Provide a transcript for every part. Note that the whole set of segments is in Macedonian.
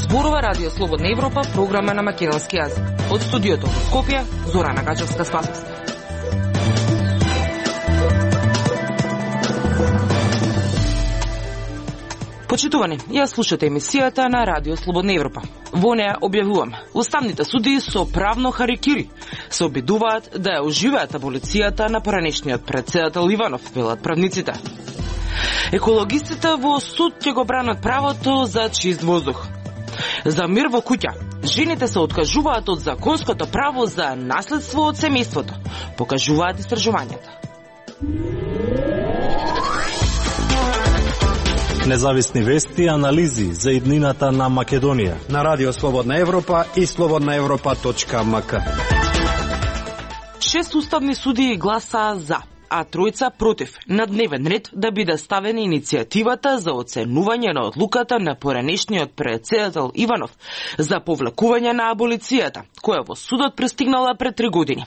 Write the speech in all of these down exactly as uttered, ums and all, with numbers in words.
Зборува Радио Слободна Европа, програма на македонски јазик. Од студиото во Скопје, Зорана Гаџевска-Спасовска. Почитувани, ја слушате емисијата на Радио Слободна Европа. Во неја објавуваме, уставните судии со правно харикири се обидуваат да ја оживеат аболицијата на поранешниот претседател Иванов, велат правниците. Екологистите во суд ќе го бранат правото за чист воздух. За мир во куќа, жените се откажуваат од законското право за наследство од семејството, покажуваат истражувањата. Независни вести и анализи за иднината на Македонија на Радио Слободна Европа и слободна европа точка ем ка. Шест уставни судии гласа за, а тројца против на дневен ред да биде ставена иницијативата за оценување на одлуката на поранешниот претседател Иванов за повлекување на аболицијата, која во судот пристигнала пред три години.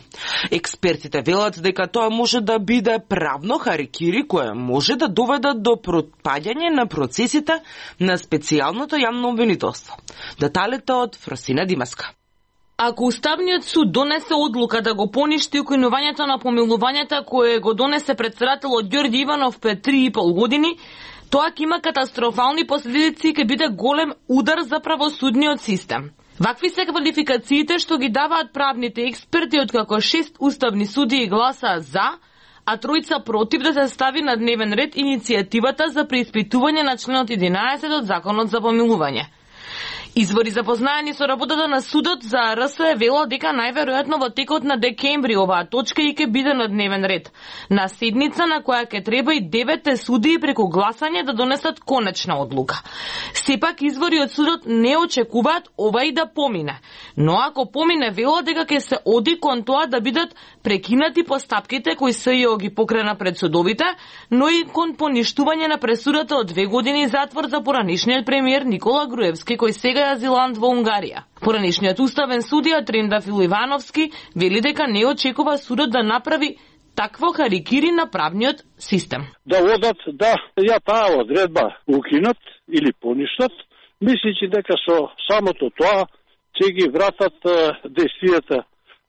Експертите велат дека тоа може да биде правно харикири која може да доведе до пропаѓање на процесите на специјалното јавно обвинителство. Деталите од Фросина Димаска. Ако Уставниот суд донесе одлука да го поништи укинувањето на помилувањата кое го донесе претседателот Ѓорѓе Иванов пред три и пол години, тоа ќе има катастрофални последици и ќе биде голем удар за правосудниот систем. Вакви се квалификациите што ги даваат правните експерти, откако шест уставни судии гласаа за, а тројца против да се стави на дневен ред иницијативата за преиспитување на членот единаесет од Законот за помилување. Извори запознаени со работата на судот за Ар С велат дека најверојатно во текот на декември оваа точка и ќе биде на дневен ред, на седница на која ќе треба и деветте судии преку гласање да донесат конечна одлука. Сепак извори од судот не очекуваат ова и да помине, но ако помине велат дека ќе се оди кон тоа да бидат прекинати постапките кои СЈО ги покрена пред судовите, но и кон поништување на пресудата од две години затвор за поранешниот премиер Никола Груевски, кој сега е азилант во Унгарија. Поранешниот уставен судија Трендафил Ивановски вели дека не очекува судот да направи такво харикири на правниот систем. Да одат да ја таа одредба укинат или поништат, мисличи дека со самото тоа ќе ги вратат действијата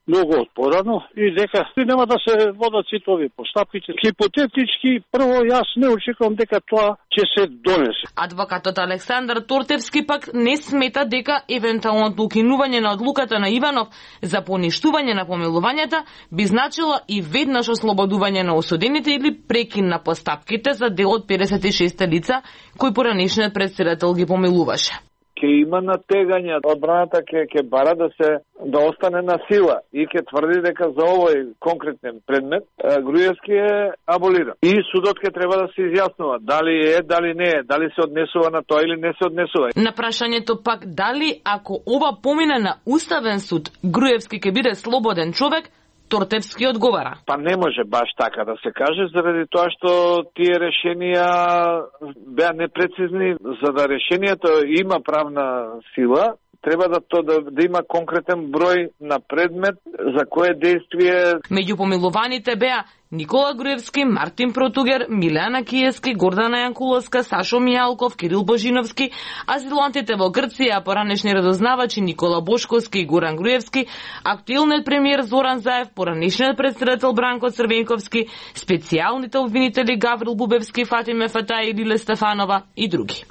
многу отпорано и дека нема да се водат сите овие постапки. Хипотетички, прво јас не очекувам дека тоа ќе се донесе. Адвокатот Александар Тортевски пак не смета дека евентуалното укинување на одлуката на Иванов за поништување на помилувањата би значило и веднаш ослободување на осудените или прекин на постапките за дел од педесет и шест лица кои поранешниот претседател ги помилуваше. Ке има натегање, одбраната ќе ќе бара да се да остане на сила и ќе тврди дека за овој конкретен предмет Груевски е аболиран. И судот ќе треба да се изјаснува дали е, дали не е, дали се однесува на тоа или не се однесува. На прашањето пак дали ако ова помине на Уставен суд, Груевски ќе биде слободен човек, Тортевски одговара. Па не може баш така да се каже, заради тоа што тие решенија беа непрецизни. За да решението има правна сила, треба да то да, да има конкретен број на предмет за кое действие. Меѓу помилуваните беа Никола Груевски, Мартин Протугер, Милена Киевски, Гордана Јанкуловска, Сашо Мијалков, Кирил Божиновски, азилантите во Грција, поранешни разузнавачи Никола Бошковски и Горан Груевски, актуелниот премиер Зоран Заев, поранешниот претседател Бранко Црвенковски, специјалните обвинители Гаврил Бубевски, Фатиме Фатај и Лиле Стефанова и други.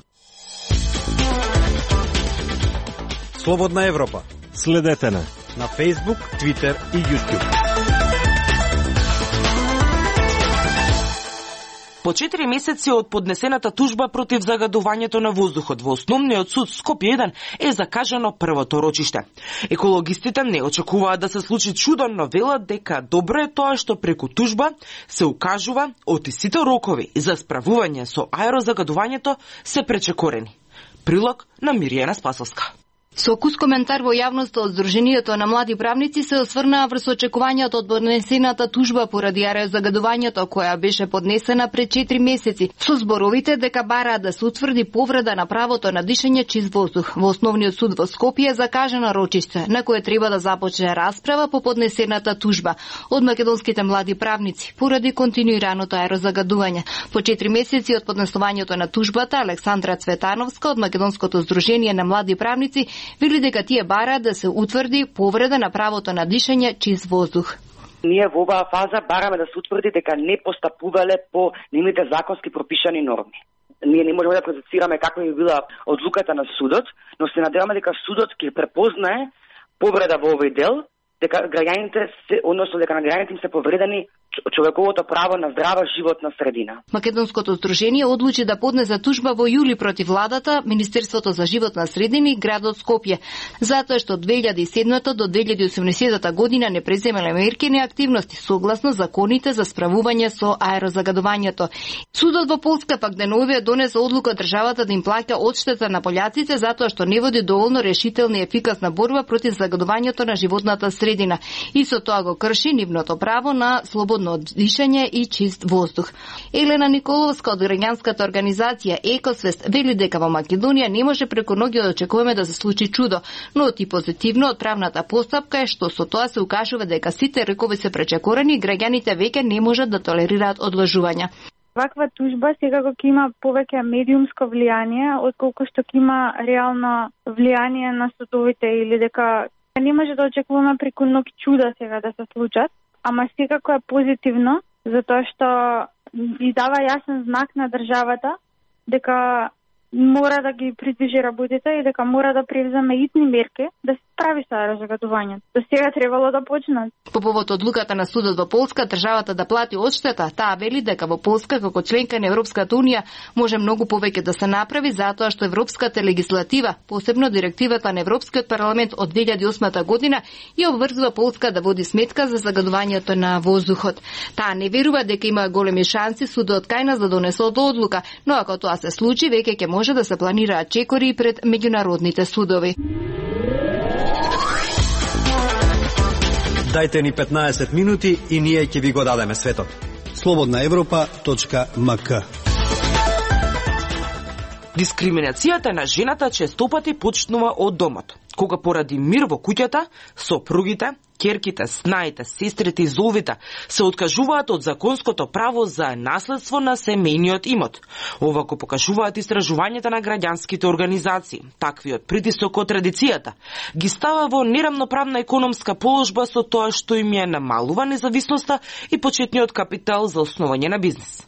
Слободна Европа. Следете на на Facebook, Twitter и YouTube. По четири месеци од поднесената тужба против загадувањето на воздухот во Основниот суд Скопје еден е закажано првото рочиште. Екологистите не очекуваат да се случи чудо, но велат дека добро е тоа што преку тужба се укажува оти сите рокови за справување со аерозагадувањето се пречекорени. Прилог на Миријана Спасовска. Со кус коментар во јавноста од Сдруженијето на млади правници се осврнаа врз очекувањето од поднесената тужба поради аерозагадувањето која беше поднесена пред четири месеци, со зборовите дека бараат да се утврди повреда на правото на дишење чист воздух. Во Основниот суд во Скопје закажана рочиште на кое треба да започне расправа по поднесената тужба од македонските млади правници поради континуираното аерозагадување. По четири месеци од поднесувањето на тужбата, Александра Цветановска од Македонското Сдружение на млади правници вели дека тие бараат да се утврди повреда на правото на дишење чист воздух. Ние во оваа фаза бараме да се утврди дека не постапувале по нивните законски пропишани норми. Ние не можеме да процесираме каква би била одлуката на судот, но се надеваме дека судот ќе препознае повреда во овој дел, дека граѓаните се, односно дека на граѓаните им се повредени човековото право на здрава животна средина. Македонското Сдружение одлучи да поднесе тужба во јули против владата, Министерството за животна средина и градот Скопје, затоа што од две илјади и седмата до две илјади и осумнаесетта година не преземале мерки и активности согласно законите за справување со аерозагадувањето. Судот во Полска пак деновиве донесе одлука државата да им плаќа одштета на пољаците затоа што не води доволно решителна и ефикасна борба против загадувањето на животната средина и со тоа го крши нивното право на слободно дишење и чист воздух. Елена Николовска од граѓанската организација Екосвест вели дека во Македонија не може преку ноги да очекуваме да се случи чудо, но и позитивно од правната постапка е што со тоа се укажува дека сите рекови се пречекорени и граѓаните веќе не можат да толерираат одложувања. Ваква тужба секако ќе има повеќе медиумско влијание, отколку што ќе има реално влијание на судовите или дека не може да очекуваме преку ноќ чуда сега да се случат. Ама секако е позитивно, затоа што издава јасен знак на државата дека мора да ги придвижи работите и дека мора да превземе итни мерки да се справи со аерозагадувањето. До сега требало да почнат. По повод одлуката на судот во Полска, државата да плати одштета, таа вели дека во Полска како членка на Европската унија може многу повеќе да се направи затоа што европската легислатива, посебно директивата на Европскиот парламент од две илјади и осма година, ја обврзува Полска да води сметка за загадувањето на воздухот. Таа не верува дека има големи шанси судот кај нас да донесе одлука, но ако тоа се случи, веќе ќе може да се планираат чекори пред меѓународните судови. Дајте ни петнаесет минути и ние ќе ви го дадеме светот. слободна европа точка ем ка. Дискриминацијата на жената честопати почнува од домот, кога поради мир во куќата, сопругите, ќерките, снаите, сестрите и зовите се откажуваат од законското право за наследство на семејниот имот. Ова го покажуваат истражувањата на граѓанските организации. Таквиот притисок од традицијата ги става во нерамноправна економска положба со тоа што им ја намалува независноста и почетниот капитал за основање на бизнис.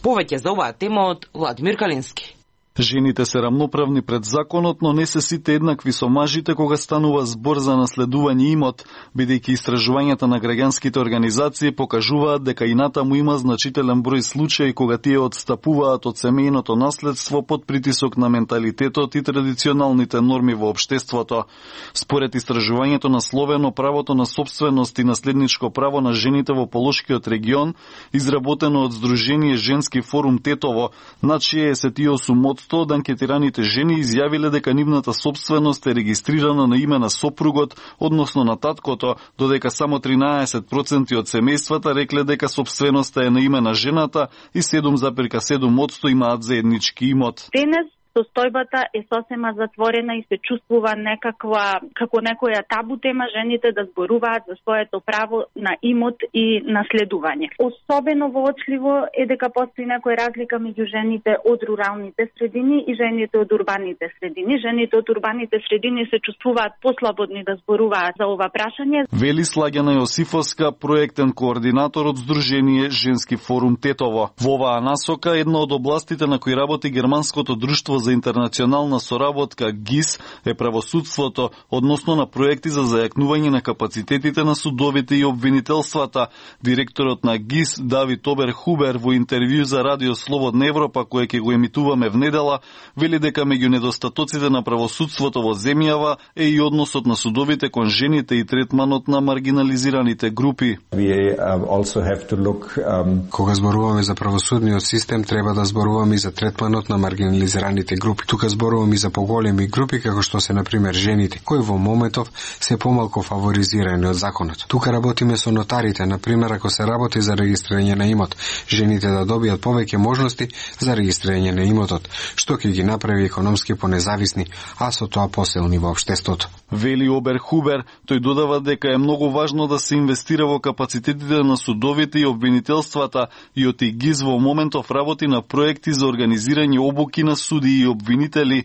Повеќе за оваа тема од Владимир Калински. Жените се рамноправни пред законот, но не се сите еднакви со мажите кога станува збор за наследување имот, бидејќи истражувањата на граѓанските организации покажуваат дека и натаму има значителен број случаи кога тие одстапуваат од семејното наследство под притисок на менталитетот и традиционалните норми во општеството. Според истражувањето насловено правото на собственост и наследничко право на жените во Полошкиот регион, изработено од Сдружение Женски форум Тетово, над шеесет и осум одсто од анкетираните жени изјавиле дека нивната собственост е регистрирана на име на сопругот, односно на таткото, додека само тринаесет проценти од семејствата рекле дека собственоста е на име на жената и седум зарез седум одсто имаат заеднички имот. Денес состојбата е сосема затворена и се чувствува некаква, како некоја табу тема жените да зборуваат за своето право на имот и наследување. Особено воочливо е дека постои некоја разлика меѓу жените од руралните средини и жените од урбаните средини. Жените од урбаните средини се чувствуваат послободни да зборуваат за ова прашање. Вели Слагјана Јосифовска, проектен координатор од Сдружение Женски форум Тетово. Во оваа насока една од областите на кои работи германското друштво за интернационална соработка ГИС е правосудството, односно на проекти за зајакнување на капацитетите на судовите и обвинителствата. Директорот на ГИС Давид Оберхубер во интервју за Радио Слободна Европа, кое ќе го емитуваме внедела, вели дека меѓу недостатоците на правосудството во земјава е и односот на судовите кон жените и третманот на маргинализираните групи. We also have to look, um... Кога зборуваме за правосудниот систем, треба да зборуваме и за третманот на маргинализираните најмалите групи. Тука зборувам и за поголеми групи, како што се, например, жените, кои во моментов се помалку фаворизирани од законот. Тука работиме со нотарите, например, ако се работи за регистрирање на имот, жените да добијат повеќе можности за регистрирање на имотот, што ќе ги направи економски понезависни, а со тоа посилни во општеството. Вели Обер Хубер, тој додава дека е многу важно да се инвестира во капацитетите на судовите и обвинителствата и од ИГИЗ во моментов работи на проекти за организирање обуки на суди и обвинители.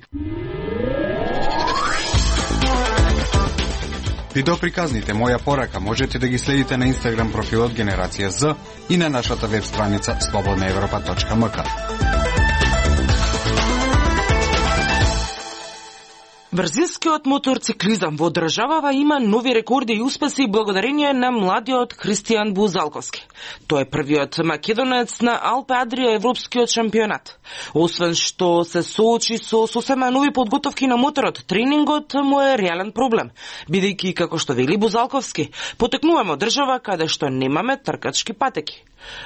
Видеоприказните Моја порака можете да ги следите на Инстаграм профилот Генерација З и на нашата веб страница слободна европа точка ем ка. Брзинскиот моторциклизам во државава има нови рекорди и успеси благодарение на младиот Христијан Бузалковски. Тој е првиот македонец на Алпе Адрија европскиот шампионат. Освен што се соочи со сосема нови подготовки на моторот, тренингот му е реален проблем, бидејќи, како што вели Бузалковски, потекнуваме од држава каде што немаме тркачки патеки.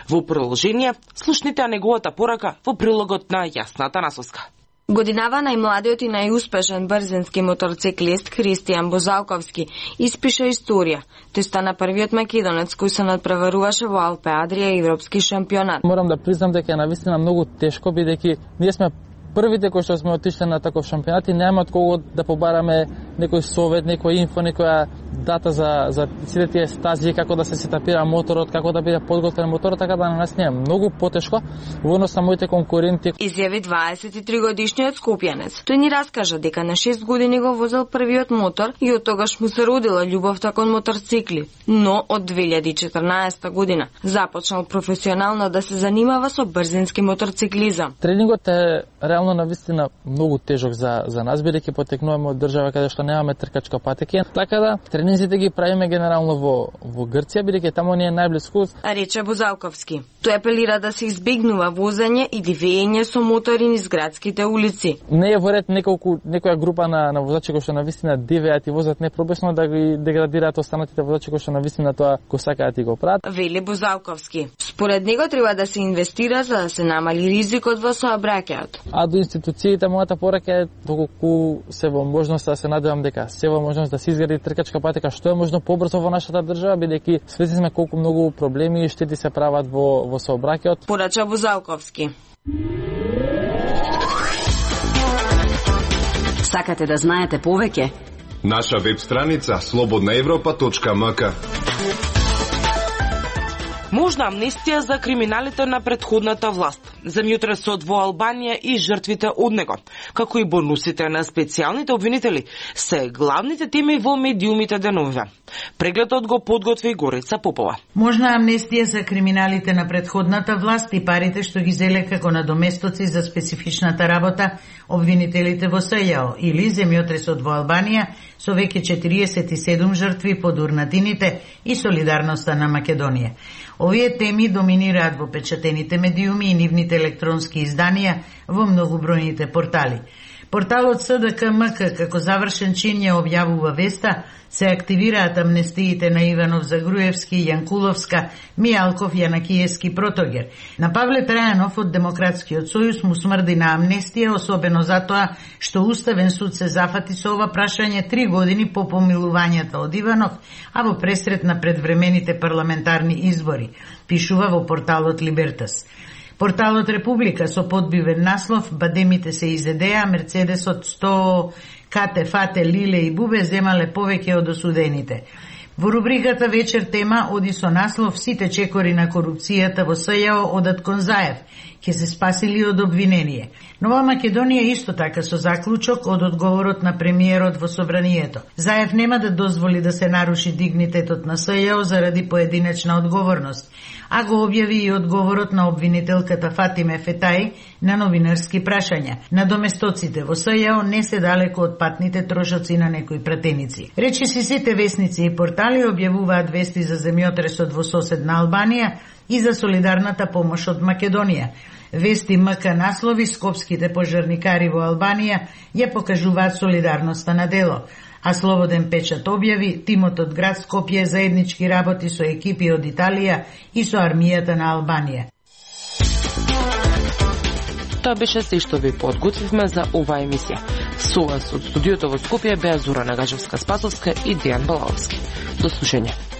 Во продолжение, слушните неговата порака во прилогот на Јасната Насоска. Годинава најмладиот и најуспешен брзински моторциклист Христијан Бузалковски испиша историја. Тој стана првиот македонец кој се надпреваруваше во Алпе Адрија европски шампионат. Морам да признам дека е навистина многу тешко, бидејќи ние сме првите кои што сме отишли на таков шампионат и нема од кого да побараме некој совет, некој инфо, некоја дата за за сите тие стази, како да се сетапира моторот, како да биде подготвен моторот, така да на нас не е многу потешко во однос на моите конкуренти. Изјави дваесет и три годишниот скопјанец. Тој ни раскажа дека на шест години го возел првиот мотор и од тогаш му се родила љубовта кон моторцикли. Но од две илјади и четрнаесета година започнал професионално да се занимава со брзински моторциклизам. Тренингот е реално навистина многу тежок за за нас, бидејќи потекнуваме од држава каде што немаме тркачка патеки. Така да тренинзите ги правиме генерално во во Грција, бидејќи таму ни е најблиску. Рече Бузалковски. Тој апелира да се избегнува возење и дивење со мотори низ градските улици. Не е во ред неколку некоја група на на возачи кои што навистина дивеат и возат непробесно да ги деградираат останатите возачи кои што навистина тоа го сакаат и го прават. Вели Бузалковски. Според него треба да се инвестира за да се намали ризикот во сообраќајот. А до институциите мојата порака е доколку се во можност да се надевам дека се во можност да се изгради тркачка патека што е можно побрзо во нашата држава, бидејќи свесни сме колку многу проблеми и штети се прават во во сообраќајот. Порача Бузалковски. Сакате да знаете повеќе? Наша веб страница слободна европа точка ем ка. Можна амнестија за криминалите на претходната власт, земјотресот во Албанија и жртвите од него, како и бонусите на специјалните обвинители, се главните теми во медиумите деновиве. Прегледот го подготви Горица Попова. Можна амнестија за криминалите на претходната власт и парите што ги зеле како надоместоци за специфичната работа обвинителите во СЈО или земјотресот во Албанија со веќе четириесет и седум жртви под урнатините и солидарноста на Македонија. Овие теми доминираат во печатените медиуми и нивните електронски изданија во многобројните портали. Порталот С Д К М К како завршен чин ја објавува веста, се активираат амнестиите на Иванов, Загруевски, Јанкуловска, Мијалков, Јанакиевски, Протогер. На Павле Трајанов од Демократскиот сојуз му смрди на амнестија, особено затоа што Уставен суд се зафати со ова прашање три години по помилувањата од Иванов, а во пресрет на предвремените парламентарни избори, пишува во порталот Либертас. Порталот Република со подбивен наслов "Бадемите се изедеа, Мерцедесот сто Кате, Фате, Лиле и Бубе земале повеќе од осудените". Во рубриката Вечер тема оди со наслов "Сите чекори на корупцијата во СЈО одат кон Заев, ќе се спасили од обвинение". Нова Македонија исто така со заклучок од одговорот на премиерот во собранието. Заев нема да дозволи да се наруши дигнитетот на СЈО заради поединечна одговорност, а го објави и одговорот на обвинителката Фатиме Фетај на новинарски прашања. Надоместоците во СЈО не се далеко од патните трошоци на некои пратеници. Речи си сите весници и портали објавуваат вести за земјотресот во соседна Албанија и за солидарната помош од Македонија. Вести М К наслови скопските пожарникари во Албанија ја покажуваат солидарноста на дело, а Слободен печат објави тимот од град Скопје заеднички работи со екипи од Италија и со армијата на Албанија. Тоа беше се што ви подготвивме за оваа емисија. Со вас од студиото во Скопје беа Зора Нагажевска-Спасовска и Дијан Балаловски. До слушање.